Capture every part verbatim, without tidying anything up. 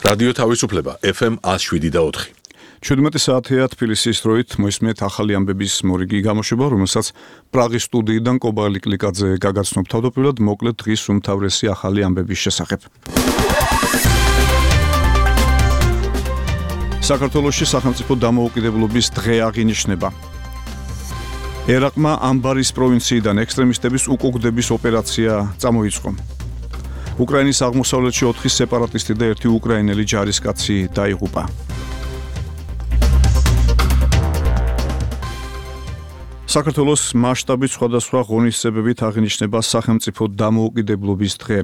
რადიო თავისუფლება ეფ ემ one oh seven და four. ჩვიდმეტი საათია თბილისის დროით მოისმენთ ახალი ამბების მორიგი გამოშვება, რომელსაც პრაღის სტუდიიდან კობალი კლიკაძე გაგაცნობ თავდაპირველად მოკლედ დღის უმთავრესი ახალი ამბების შესახებ. საქართველოში სახელმწიფო დამოუკიდებლობის დღე აღინიშნება. ერაყმა ამბარის პროვინციიდან ექსტრემისტების უკუგდების ოპერაცია წამოიწყო. უკრაინის აღმოსავლეთში ოთხი სეპარატისტი და ერთი უკრაინელი ჯარისკაცი დაიღუპა. საქართველოს მასშტაბით სხვადასხვა ღონისძიებებით აღინიშნება სახელმწიფო დამოუკიდებლობის დღე.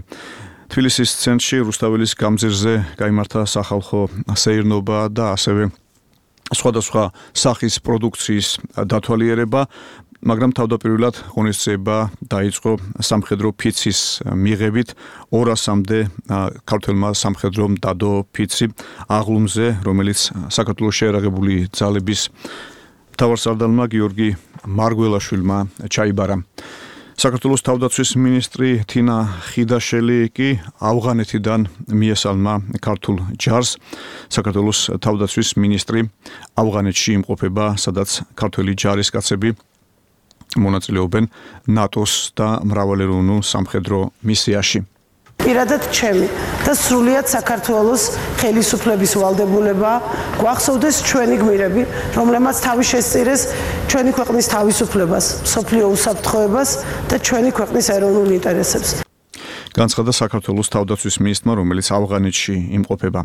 თბილისის ცენტრში რუსთაველის გამზირზე გაიმართა სახალხო სეირნობა და ასევე სხვადასხვა სახის პროდუქციის დათვალიერება, მაგრამ თავდაპირველად ღონისძიება დაიწყო სამხედრო ფიცის მიღებით ორასამდე ქართველმა სამხედრომ დადო ფიცი აღლუმზე, რომელიც საქართველოს შეერაღებული ძალების მთავარსარდალმა გიორგი მარგველაშვილმა ჩაიბარა. საქართველოს თავდაცვის მინისტრი თინა ხიდაშელი კი ავღანეთიდან მიესალმა ქართულ ჯარს. საქართველოს თავდაცვის მინისტრი ავღანეთში იმყოფება, სადაც ქართველი ჯარისკაცები მონაწილეობენ ნატოს და მრავალეროვნულ სამხედრო მისიაში. პირადად ჩემი და სრულიად საქართველოს ხელისუფლების ვალდებულება გვახსოვდეს ჩვენი გმირები, რომლებმაც თავი შესწირეს ჩვენი ქვეყნის თავისუფლებას, მსოფლიო უსაფრთხოებას და ჩვენი ქვეყნის ეროვნულ ინტერესებს. განცხადა საქართველოს თავდაცვის მინისტრმა, რომელიც ავღანეთში იმყოფება.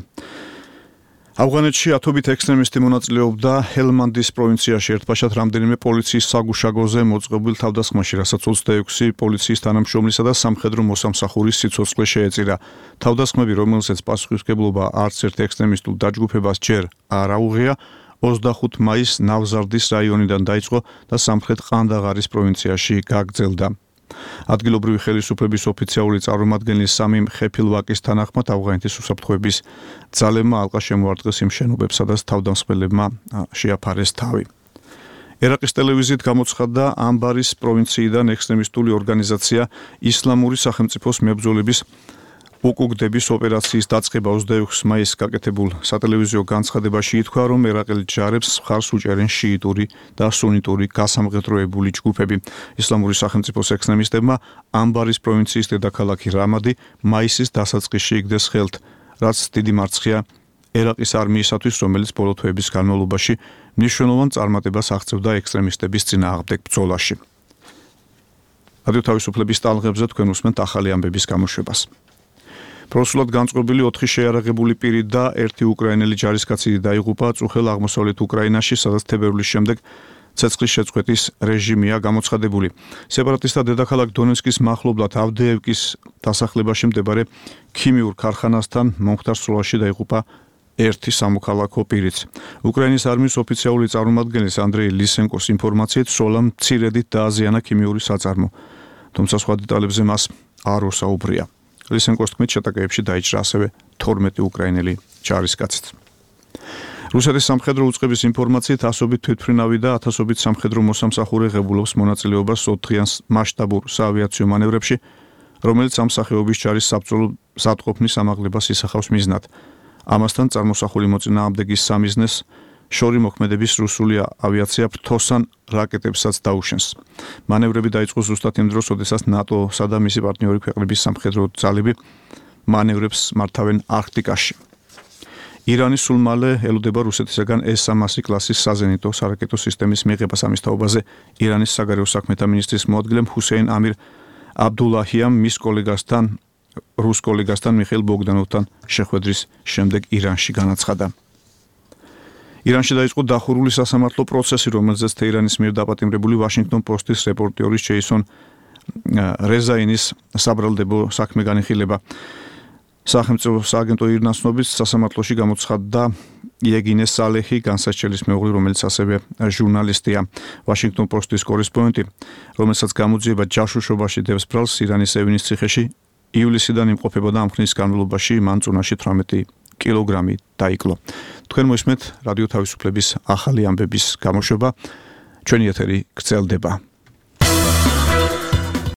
ავღანეთში ათობით ექსტრემისტი მონაწილეობდა ჰელმანდის პროვინციაში ერთბაშად რამდენიმე პოლიციის საგუშაგოზე მოწყობილ თავდასხმაში, რასაც ოცდაექვსი პოლიციის თანამშრომლისა და სამხედრო მოსამსახურის სიცოცხლე შეეწირა. თავდასხმები, რომელსაც პასუხისმგებლობა არც ერთ ექსტრემისტულ დაჯგუფებას ჯერ არ აუღია, ოცდახუთი მაისს ნავზარდის რაიონიდან დაიწყო და სამხრეთ ყანდაღარის პროვინციაში გაგრძელდა. ადგილობრივი ხელისუფლების ოფიციალური წარმომადგენლის სამიმ ხეფილვაკის თანახმად ავღანეთის უსაფრთხოების ძალებმა ალყა შემოარტყეს იმ შენობებს, სადაც თავდამსხმელებმა შეაფარეს თავი. ერაყის ტელევიზიით გამოცხადდა ამბარის პროვინციიდან ექსტრემისტული ორგანიზაცია ისლამური სახელმწიფოს მებრძოლების უკუგდების ოპერაციის დაწყება ოცდაექვსი მაისს გაკეთებულ სატელევიზიო განცხადებაში ითქვა, რომ ერაყელ ჯარებს მხარს უჭერენ შიიტური და სუნიტური გასამღეროებული ჯგუფები. ისლამური სახელმწიფოს ექსტრემისტებმა ამბარის პროვინციის დედაქალაქი რამადი მაისის დასაწყისში იგდეს ხელთ, რაც დიდი მარცხია ერაყის არმიისათვის, რომელიც ბოლო თვეების განმავლობაში მნიშვნელოვან წარმატებას აღწევდა ექსტრემისტების წინააღმდეგ ბრძოლაში. რადიო თავისუფლების ტალღებზე თქვენ უსმენთ ახალი ამბების გამოშვებას. პროსულად განწყობილი ოთხი შეიარაღებული პირი და ერთი უკრაინელი ჯარისკაცი დაიღუპა წუხელ აღმოსავლეთ უკრაინაში, სადაც თებერვლის შემდეგ ცეცხლის შეწყვეტის რეჟიმია გამოცხადებული. სეპარატისტთა დედაქალაქ დონეცკის მახლობლად ავდეევკის დასახლებაში მდებარე ქიმიურ ქარხანასთან მომხდარ სროლაში დაიღუპა ერთი სამოქალაქო პირიც. უკრაინის არმიის ოფიციალური წარმომადგენლის ანდრეი ლისენკოს ინფორმაციით, სროლამ მცირედით დააზიანა ქიმიური საწარმო, თუმცა სხვა დეტალებზე მას არ უსაუბრია. ლისენკოს თქმით, შეტაკებებში დაიჭრა ასევე თორმეტი უკრაინელი ჯარისკაციც. რუსეთის სამხედრო უწყების ინფორმაციით, ასობით თვითმფრინავი და ათასობით სამხედრო მოსამსახურე ღებულობს მონაწილეობას ოთხდღიან მასშტაბურ საავიაციო მანევრებში, რომელიც ამ სახეობის ჯარის საბრძოლო ზადყოფნის ამაღლებას ისახავს მიზნად. ამასთან წარმოსახული მოწინააღმდეგის სამიზნეს შორი მოქმედების რუსული ავიაცია ფრთოსან რაკეტებსაც დაუშენს. მანევრები დაიწყო ზუსტად იმ დროს, როდესაც ნატოსა და მისი პარტნიორი ქვეყნების სამხედრო ძალები მანევრებს მართავენ არქტიკაში. ირანი სულ მალე ელოდება რუსეთისაგან ეს სამასი კლასის საზენიტო სარაკეტო სისტემის მიღებას. ამის თაობაზე ირანის საგარეო საქმეთა მინისტრის მოადგილემ ჰუსეინ ამირ აბდულაჰიამ მის კოლეგასთან, რუს კოლეგასთან მიხეილ ბოგდანოვთან შეხვედრის შემდეგ ირანში განაცხადა. ირანში დაიწყო დახურული სასამართლო პროცესი, რომელზეც თეირანის მიერ დაპატიმრებული ვაშინგტონ პოსტის რეპორტიორის ჯეისონ რეზაინის საბრალდებო საქმე განიხილება. სახელმწიფო სააგენტო ირნას ცნობით, სასამართლოში გამოცხადდა იეგინე სალეჰი, განსაცდელის მეუღლე, რომელიც ასევე ჟურნალისტია. ვაშინგტონ პოსტის კორესპონდენტი, რომელსაც გამოძიება ჯაშუშობაში დევს ბრალს ირანის ევილის ციხეში, ივლისიდან იმყოფებოდა. ამ ხნის განმავლობაში მან წუნაში თვრამეტი კილოგრამი დაიკლო. თქვენ მოისმენთ რადიო თავისუფლების ახალი ამბების გამოშვება. ჩვენი ეთერი გრძელდება.